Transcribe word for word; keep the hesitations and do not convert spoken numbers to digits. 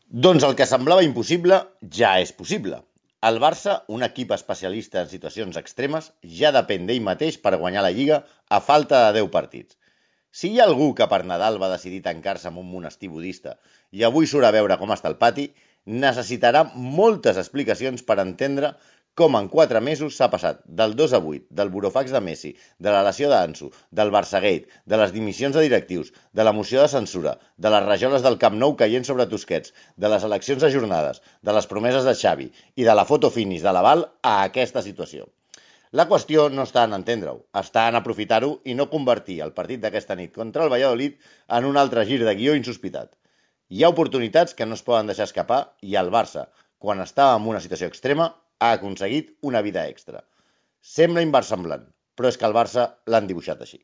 Doncs el que semblava impossible ja és possible. El Barça, un equip especialista en situacions extremes, ja depèn d'ell mateix per guanyar la Lliga a falta de deu partits. Si hi ha algú que per Nadal va decidir tancar-se en un monestir budista i avui surt a veure com està el pati, necessitarà moltes explicacions per entendre com en quatre mesos s'ha passat del dos a vuit, del burofax de Messi, de la lesió d'Ansu, del Barçagate, de les dimissions de directius, de la moció de censura, de les rajoles del Camp Nou caient sobre Tusquets, de les eleccions ajornades, de les promeses de Xavi i de la foto finish de l'aval a aquesta situació. La qüestió no està en entendre-ho, està en aprofitar-ho i no convertir el partit d'aquesta nit contra el Valladolid en un altre gir de guió insospitat. Hi ha oportunitats que no es poden deixar escapar i el Barça, quan està en una situació extrema, ha aconseguit una vida extra. Sembla inversemblant, però és que el Barça l'han dibuixat així.